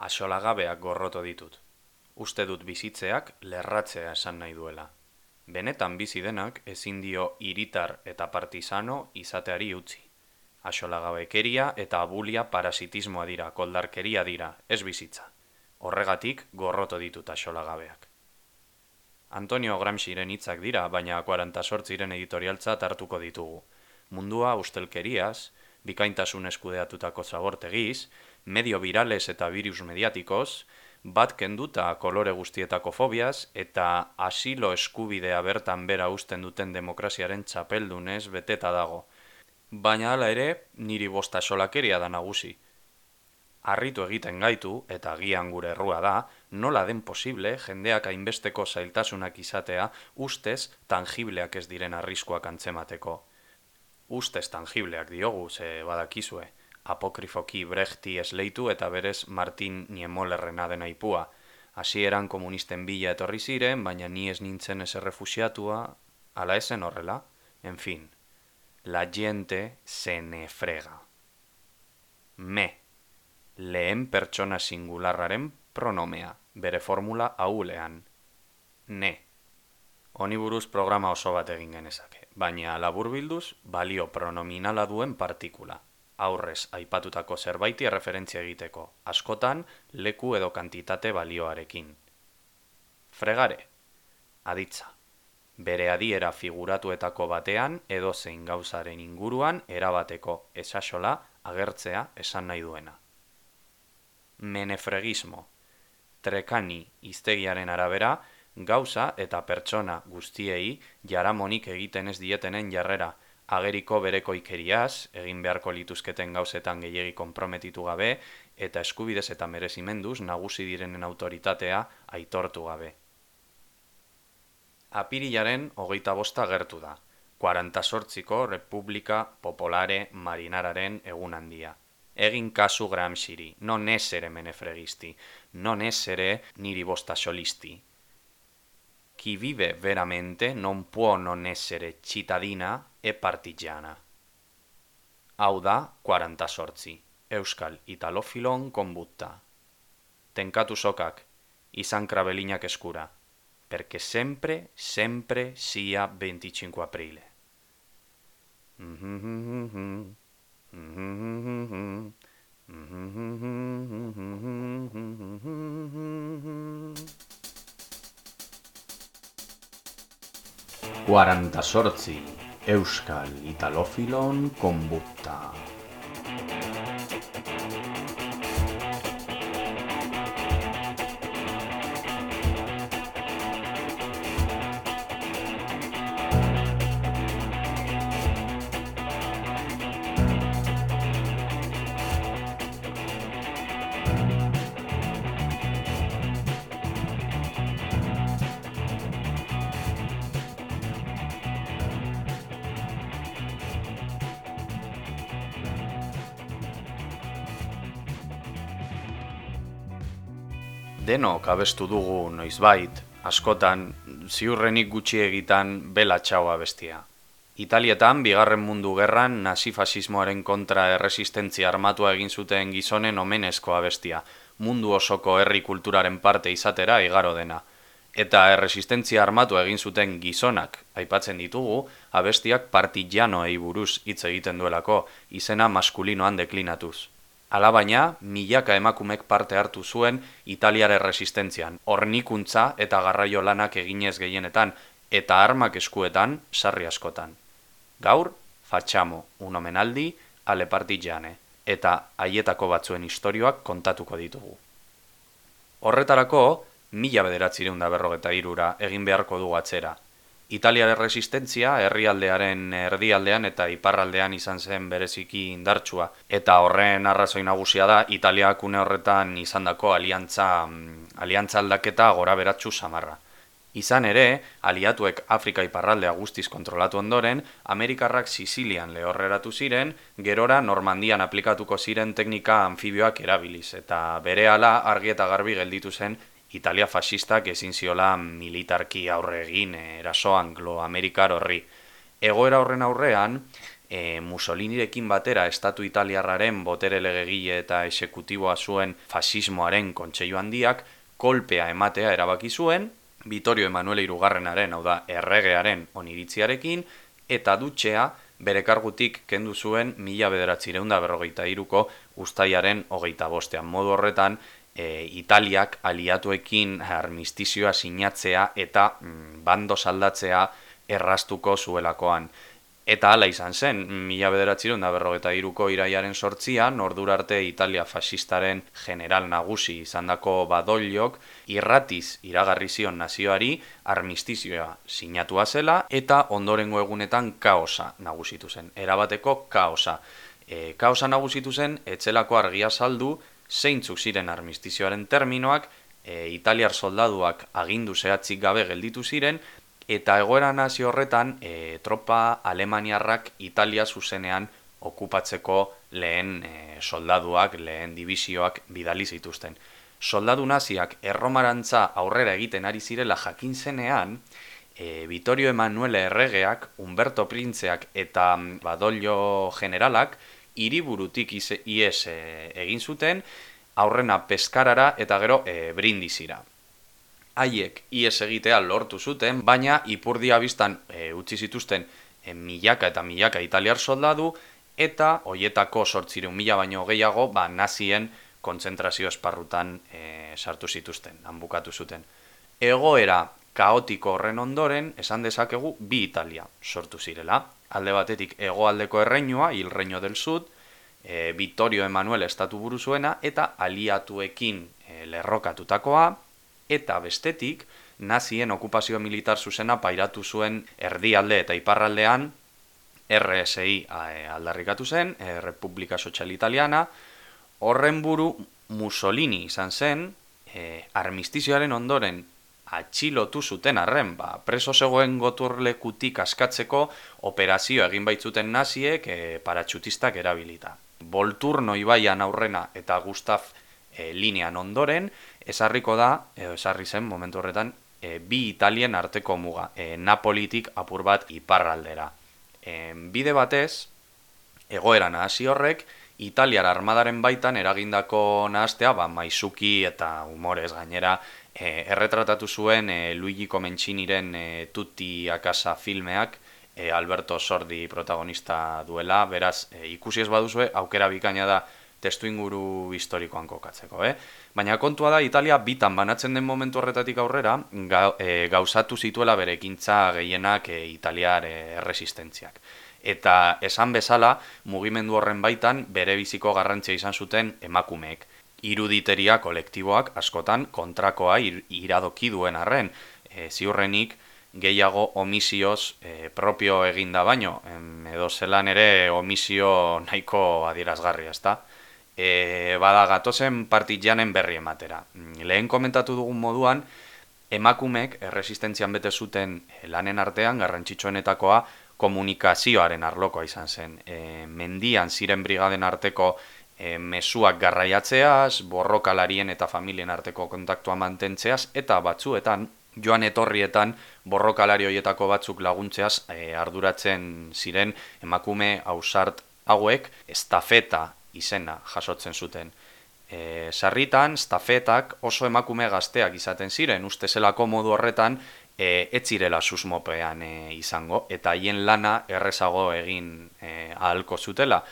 Axolagabeak gorroto ditut. Uste dut bizitzeak lerratzea esan nahi duela. Benetan bizi denak ezin dio hiritar eta partisano izateari utzi. Axolagabekeria eta abulia parasitismoa dira, koldarkeria dira, ez bizitza. Horregatik gorroto ditut axolagabeak. Antonio Gramsciren hitzak dira, baina 48 editorialtzat hartuko ditugu. Mundua ustelkeriaz, bikaintasun eskudeatutako zabortegiz, medio virales eta virus mediatikoz, bat kenduta kolore guztietako fobiaz eta asilo eskubidea bertan bera usten duten demokraziaren txapeldunez beteta dago. Baina hala ere, niri bost axolakeria da nagusi. Harritu egiten gaitu, eta agian gure errua da, nola den posible jendeak hainbesteko zailtasunak izatea ustez tangibleak ez diren arriskuak antzemateko. Ustez tangibleak diogu, ze badakizue, apokrifoki Brechti esleitu eta berez Martin Niemollerrena den aipua. Hasieran komunisten bila etorri ziren, baina ni ez nintzen ez errefuxiatua, ala esen horrela, en fin. La gente se ne frega. Lehen pertsona singularraren pronomea, bere formula ahulean. Ne. Honi buruz programa oso bat egin genezake, baina laburbilduz balio pronominala duen partikula. Aurrez aipatutako zerbaiti erreferentzia egiteko, askotan leku edo kantitate balioarekin. Fregare. Aditza. Bere adiera figuratuetako batean edo zein gauzaren inguruan erabateko esasola agertzea esan nahi duena. Menefregismo. Trekani hiztegiaren arabera, gauza eta pertsona guztiei jaramonik egiten ez dietenen jarrera, ageriko berekoikeriaz, egin beharko lituzketen gauzetan gehiegi konprometitu gabe, eta eskubidez eta merezimenduz nagusi direnen autoritatea aitortu gabe. Apirilaren 25 gertu da, 48ko República Popolare Marinararen egun handia. Egin kasu Gramsciri, non essere menefregisti, non essere niri bosta solisti. Chi vive veramente non può non essere cittadina e partigiana. Hau da 48, Euskal Italofilon konbutta. Tenkatu sokak, izan krabelinak eskura, perché sempre sia 25 aprile. 48 Euskal Italofilon konbutta. Denok abestu dugu noizbait, askotan, ziurrenik gutxi egitan bela txau abestia. Italietan, Bigarren Mundu Gerran nazi-fasismoaren kontra erresistentzia armatua egin zuten gizonen omenezko abestia, mundu osoko herri kulturaren parte izatera igaro dena. Eta erresistentzia armatua egin zuten gizonak aipatzen ditugu, abestiak partillanoei buruz hitz egiten duelako, izena maskulinoan deklinatuz. Alabaina, milaka emakumek parte hartu zuen Italiar erresistentzian, hornikuntza eta garraio lanak eginez gehienetan, eta armak eskuetan sarri askotan. Gaur, facciamo un omenaldi alle partigiane, eta haietako batzuen istorioak kontatuko ditugu. Horretarako, 1943 egin beharko dugu atzera. Italiar erresistentzia herrialdearen erdialdean eta iparraldean izan zen bereziki indartsua, eta horren arrazoi nagusia da Italiak une horretan izandako aliantza aldaketa goraberatsu samarra. Izan ere, aliatuek Afrika iparraldea guztiz kontrolatu ondoren, Amerikarrak Sizilian lehorreratu ziren, gerora Normandian aplikatuko ziren teknika anfibioak erabiliz, eta berehala argi eta garbi gelditu zen Italia fascistak ezin ziola militarki aurre egin eraso anglo-amerikar horri. Egoera horren aurrean, Mussolinirekin batera estatu italiarraren botere legegile eta exekutiboa zuen fasismoaren kontseilu handiak kolpea ematea erabaki zuen, Vittorio Emanuele Hirugarrenaren, hau da, erregearen oniritziarekin, eta dutxea bere kargutik kendu zuen 1953ko uztailaren 25. Modu horretan, Italiak aliatuekin armistizioa sinatzea eta bando saldatzea erraztuko zuelakoan. Eta hala izan zen, 1953ko iraiaren 8an, ordura arte Italia fasistaren general nagusi izandako Badogliok irratiz iragarri zion nazioari armistizioa sinatua zela eta ondorengo egunetan kaosa nagusitu zen. Erabateko kaosa. Kaosa nagusitu zen, etzelako argia saldu, zeintzuk ziren armistizioaren terminoak, italiar soldaduak agindu zehatzik gabe gelditu ziren, eta egoera nazio horretan, tropa alemaniarrak Italia zuzenean okupatzeko lehen soldaduak, lehen divisioak bidali zituzten. Soldadu naziak erromarantza aurrera egiten ari zirela jakin zenean, Vittorio Emanuele erregeak, Umberto Printzeak eta Badoglio generalak hiriburutik ihes egin zuten, aurrena Peskarara eta gero Brindisira. Haiek ihes egitea lortu zuten, baina ipurdia biztan utzi zituzten milaka eta milaka italiar soldadu, eta hoietako 800.000 baino gehiago nazien kontzentrazio esparrutan sartu zituzten, han bukatu zuten. Egoera kaotiko horren ondoren, esan dezakegu bi Italia sortu zirela. Alde batetik hegoaldeko erreinua, Il Regno del Sud, Vittorio Emanuele estatu buru zuena, eta aliatuekin lerrokatutakoa, eta bestetik, nazien okupazio militar zuzena pairatu zuen erdialde eta iparraldean RSI aldarrikatu zen, Repubblica Sociale Italiana, horren buru Mussolini izan zen, armistizioaren ondoren atxilotu zuten arren, preso zegoen goturlekutik askatzeko operazio egin baitzuten naziek paratxutistak erabilita. Volturno ibaian aurrena eta Gustav linean ondoren, esarri zen momentu horretan, bi Italien arteko muga, Napolitik apur bat iparraldera. Bide batez, egoera nahasi horrek, Italiar armadaren baitan eragindako nahastea, maisuki eta humorez gainera, erretratatu zuen Luigi Comenciniren Tutti a casa filmeak, Alberto Sordi protagonista duela, beraz, ikusi ez baduzue, aukera bikaina da testu inguru historikoan kokatzeko. Baina kontua da, Italia bitan banatzen den momentu horretatik aurrera, gauzatu zituela bere ekintza gehienak italiar erresistentziak. Eta esan bezala, mugimendu horren baitan bere biziko garrantzia izan zuten emakumeek. Iruditeria kolektiboak askotan kontrakoa iradoki duen arren, ziurrenik gehiago omisioz propio eginda baino, edo zelan ere omisio nahiko adierazgarria, ezta? Bada gatozen partijanen berri ematera. Lehen komentatu dugun moduan, emakumeek erresistentzian bete zuten lanen artean garrantzitsuenetakoa komunikazioaren arlokoa izan zen. Mendian ziren brigaden arteko mezuak garraiatzeaz, borrokalarien eta familien arteko kontaktua mantentzeaz, eta batzuetan, joan etorrietan, borrokalari horietako batzuk laguntzeaz arduratzen ziren emakume ausart hauek estafeta izena jasotzen zuten. Sarritan, stafetak oso emakume gazteak izaten ziren, uste zelako modu horretan ez zirela susmopean izango, eta haien lana errezago egin ahalko zutela.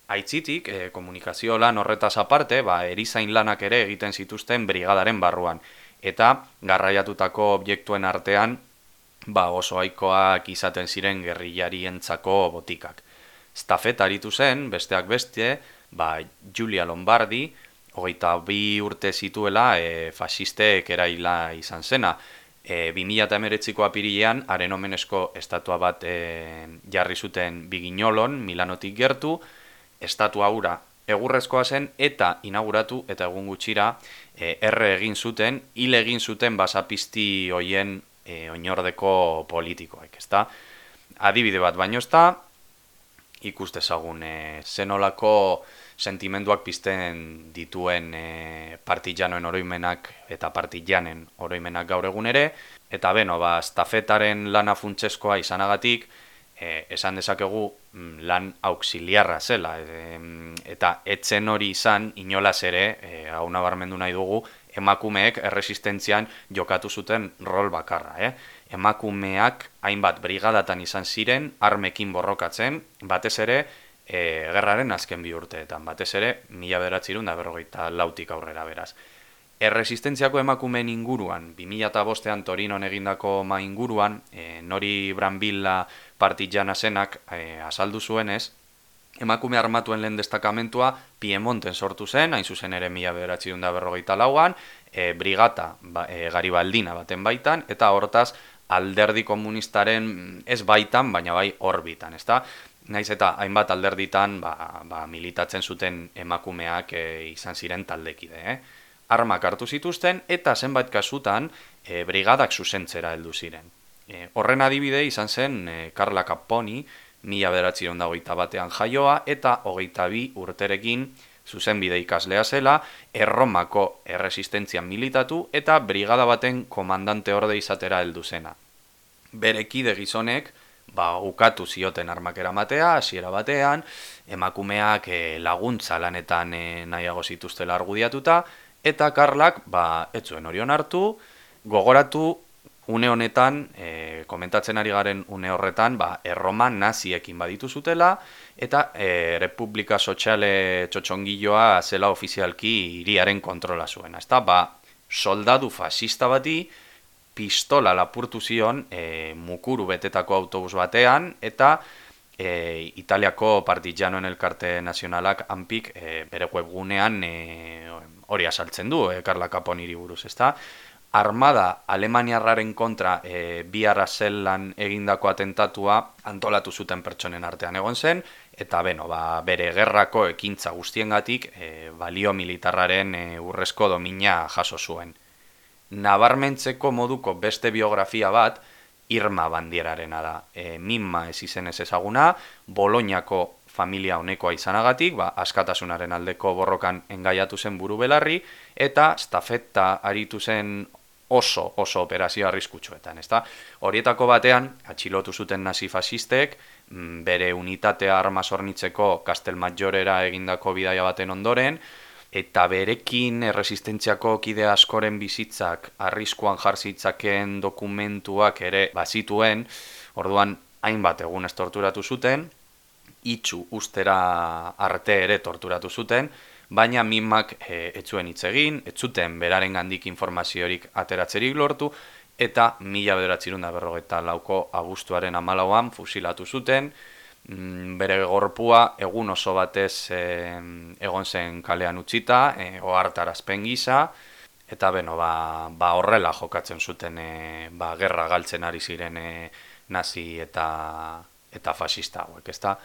Aitzitik, komunikazio lan horretaz aparte, erizain lanak ere egiten zituzten brigadaren barruan, eta garraiatutako objektuen artean oso ohikoak izaten ziren gerrillarientzako botikak. Stafeta aritu zen, besteak beste, Giulia Lombardi, 22 urte zituela fasistek eraila izan zena. 2019ko apirilean, haren omenezko estatua bat jarri zuten Bignolon, Milanotik gertu, estatua hura egurrezkoa zen eta inauguratu eta egun gutxira erre egin zuten, hil egin zuten basapizti hoien oinordeko politikoek, ezta? Adibide bat baino ezta, ikus dezagun zenolako sentimenduak pizten dituen partijanoen oroimenak eta partijanen oroimenak gaur egun ere, eta stafetaren lana funtseskoa izanagatik, esan dezakegu lan auxiliarra zela, eta etzen hori izan inolaz ere, hau nabarmendu nahi dugu, emakumeek erresistentzian jokatu zuten rol bakarra. Emakumeak hainbat brigadatan izan ziren, armekin borrokatzen, batez ere, gerraren azken bi urteetan, batez ere, 1954tik aurrera beraz. Erresistentziako emakumeen inguruan, 2005ean Torinon egindako inguruan, Nori Brambilla partizana zenak azaldu zuenez, emakume armatuen lehen destakamentua Piemonten sortu zen, hain zuzen ere 1954an, brigata Garibaldina baten baitan, eta hortaz alderdi komunistaren ez baitan, baina bai orbitan, ezta? Naiz eta hainbat alderditan militatzen zuten emakumeak izan ziren taldekide, Armak hartu zituzten eta zenbait kasutan brigadak zuzentzera heldu ziren. Horren adibide izan zen Carla Capponi, 1921ean jaioa eta 22 urterekin zuzenbide ikaslea zela, Erromako erresistentzian militatu eta brigada baten komandante orde izatera heldu zena. Bere kide gizonek ukatu zioten armak eramatea, hasiera batean, emakumeak laguntza lanetan nahiago zituztela argudiatuta, eta Karlak ez zuen hori onartu, gogoratu une honetan, komentatzen ari garen une horretan, Erroma naziekin baditu zutela, eta Republika Soziale txotxongiloa zela ofizialki hiriaren kontrola zuen. Soldadu fascista bati pistola lapurtu zion mukuru betetako autobus batean, eta Italiako Partizanoen Elkarte Nazionalak ANPik bere webgunean hori asaltzen du, Carla Caponiri buruz, ezta? Armada alemaniarraren kontra bihar zelan egindako atentatua antolatu zuten pertsonen artean egon zen, eta bere gerrako ekintza guztiengatik balio militarraren urrezko domina jaso zuen. Nabarmentzeko moduko beste biografia bat, Irma Bandierarena da. Mimma ez izenez ezaguna, Boloñako familia honekoa izanagatik, askatasunaren aldeko borrokan engaiatu zen buru belarri, eta stafeta aritu zen oso operazio arriskutsuetan, ezta? Horietako batean, atxilotu zuten nazi-fasistek, bere unitatea arma zornitzeko Castelmajorera egindako bidaia baten ondoren, eta berekin erresistentziako kide askoren bizitzak arriskuan jarzitzakeen dokumentuak ere bazituen, orduan hainbat egunez torturatu zuten, itxu ustera arte ere torturatu zuten, baina Mimmak ez zuen hitz egin, ez zuten berarengandik informaziorik ateratzerik lortu, eta 1944ko abuztuaren 14an fusilatu zuten, bere gorpua egun oso batez egon zen kalean utzita, ohartarazpen gisa, eta horrela jokatzen zuten gerra galtzen ari ziren nazi eta fascista hauek, ezta?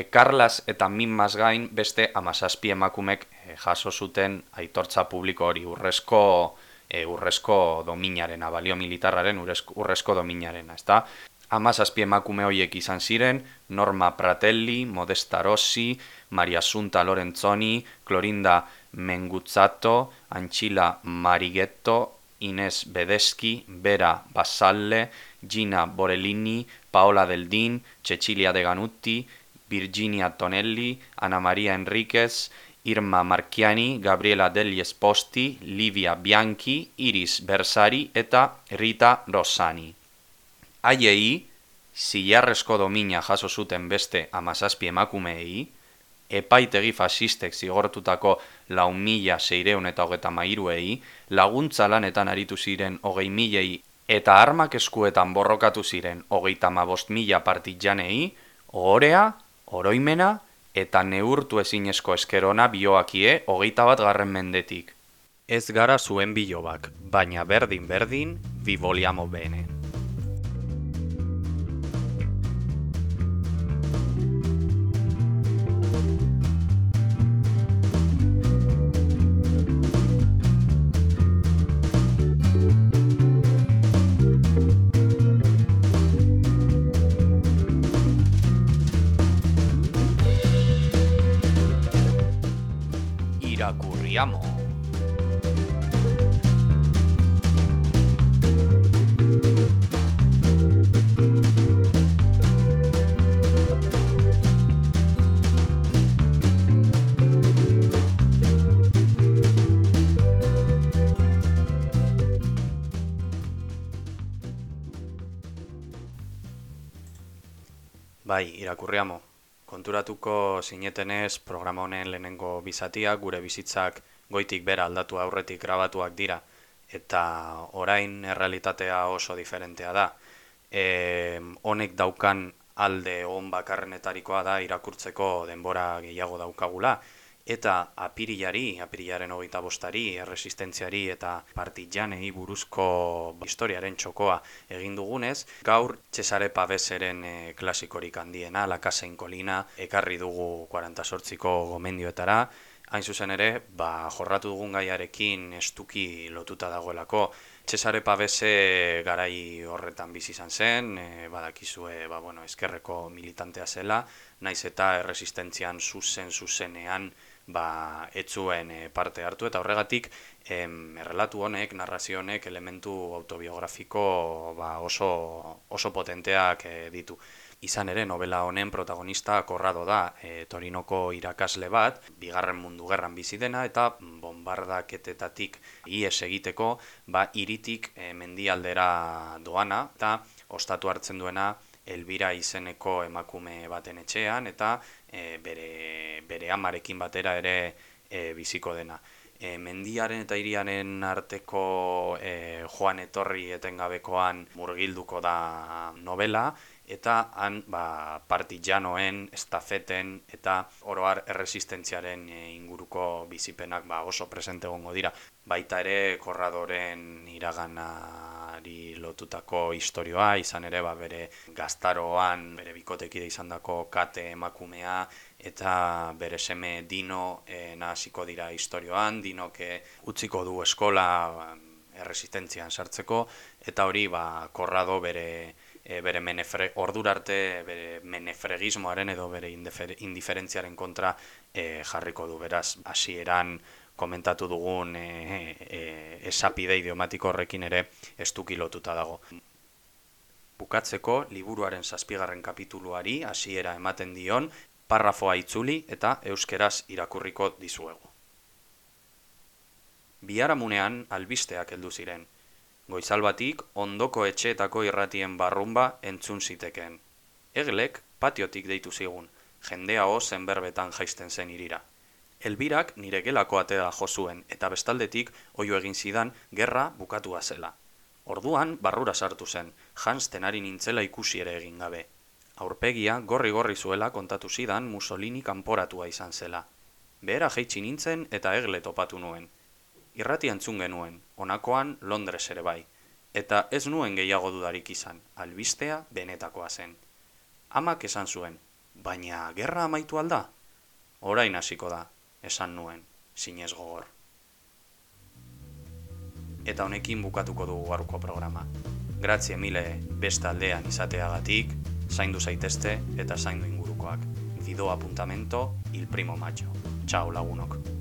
Karlas eta Mimmas gain beste 17 emakumek jaso zuten aitortza publiko hori urrezko dominarena, balio militarraren urrezko dominarena, ezta? 17 emakume horiek izan ziren, Norma Pratelli, Modesta Rossi, Maria Assunta Lorenzoni, Clorinda Menguzzato, Ancilla Marighetto, Ines Bedeski, Vera Bassalle, Gina Borellini, Paola Deldin, Cecilia De Ganutti, Virginia Tonelli, Ana Maria Enriquez, Irma Marchiani, Gabriela Degli Esposti, Livia Bianchi, Iris Bersari eta Rita Rossani. Haiei, zilarrezko domina jaso zuten beste 17 emakumeei, epaitegi fasistek zigortutako 4.633 laguntza lanetan aritu ziren 20.000 eta armak eskuetan borrokatu ziren 35.000 partizanei, ohorea, oroimena eta neurtu ezinezko eskerona bioakie 21. mendetik. Ez gara zuen bilobak, baina berdin, vi vogliamo bene. Irakurriamo. Bai, irakurriamo. Konturatuko zinetenez programa honen lehenengo bizatiak gure bizitzak goitik bera aldatu aurretik grabatuak dira eta orain errealitatea oso diferentea da. Honek daukan alde on bakarrenetarikoa da irakurtzeko denbora gehiago daukagula eta apirilaren 25-ari, erresistentziari eta partijanei buruzko historiaren txokoa egin dugunez, gaur Cesare Paveseren klasikorik handiena, La Casa in Colina, ekarri dugu 48ko gomendioetara, hain zuzen ere, jorratu dugun gaiarekin estuki lotuta dagoelako. Cesare Pavese garai horretan bizi izan zen, badakizue, ezkerreko militantea zela, naiz eta erresistentzian zuzenean ez zuen parte hartu, eta horregatik errelatu honek, narrazio honek elementu autobiografiko oso potenteak ditu. Izan ere, novela honen protagonista Corrado da, Torinoko irakasle bat, Bigarren Mundu Gerran bizi dena, eta bombardaketetatik ihes egiteko, hiritik mendialdera doana, eta ostatu hartzen duena Elbira izeneko emakume baten etxean, eta bere amarekin batera ere biziko dena. Mendiaren eta hiriaren arteko joan etorri etengabekoan murgilduko da novela, eta han partijanoen, estafeten eta oroar erresistentziaren inguruko bizipenak oso presente egongo dira. Baita ere Corradoren iraganari lotutako istorioa, izan ere bere gaztaroan bere bikotekide izandako Kate emakumea eta bere seme Dino nahasiko dira istorioan, Dinok utziko du eskola erresistentzian sartzeko, eta hori Corrado bere ordura arte bere menefregismoaren edo bere indiferentziaren kontra jarriko du. Beraz, hasieran komentatu dugun esapide idiomatiko horrekin ere estuki lotuta dago. Bukatzeko, liburuaren 7. kapituluari hasiera ematen dion parrafoa itzuli eta euskeraz irakurriko dizuegu. Biharamunean albisteak heldu ziren. Goizalbatik ondoko etxeetako irratien barrunba entzun zitekeen. Eglek patiotik deitu zigun, jendea zen berbetan jaisten zen irira. Elbirak nire gelako atera jo zuen eta bestaldetik oihu egin zidan gerra bukatua zela. Orduan barrura sartu zen, janzten ari nintzela ikusi ere egin gabe. Aurpegia gorri zuela kontatu zidan Mussolini kanporatua izan zela. Behera jaitsi nintzen eta Egle topatu nuen. Irrati entzun genuen, honakoan Londres ere bai, eta ez nuen gehiago dudarik izan, albistea benetakoa zen. Amak esan zuen, baina gerra amaitu alda? Orain hasiko da, esan nuen, zinez gogor. Eta honekin bukatuko dugu gaurko programa. Grazie mille beste aldean izateagatik, zaindu zaitezte eta zaindu ingurukoak. Vido apuntamento il 1 maggio. Ciao lagunok.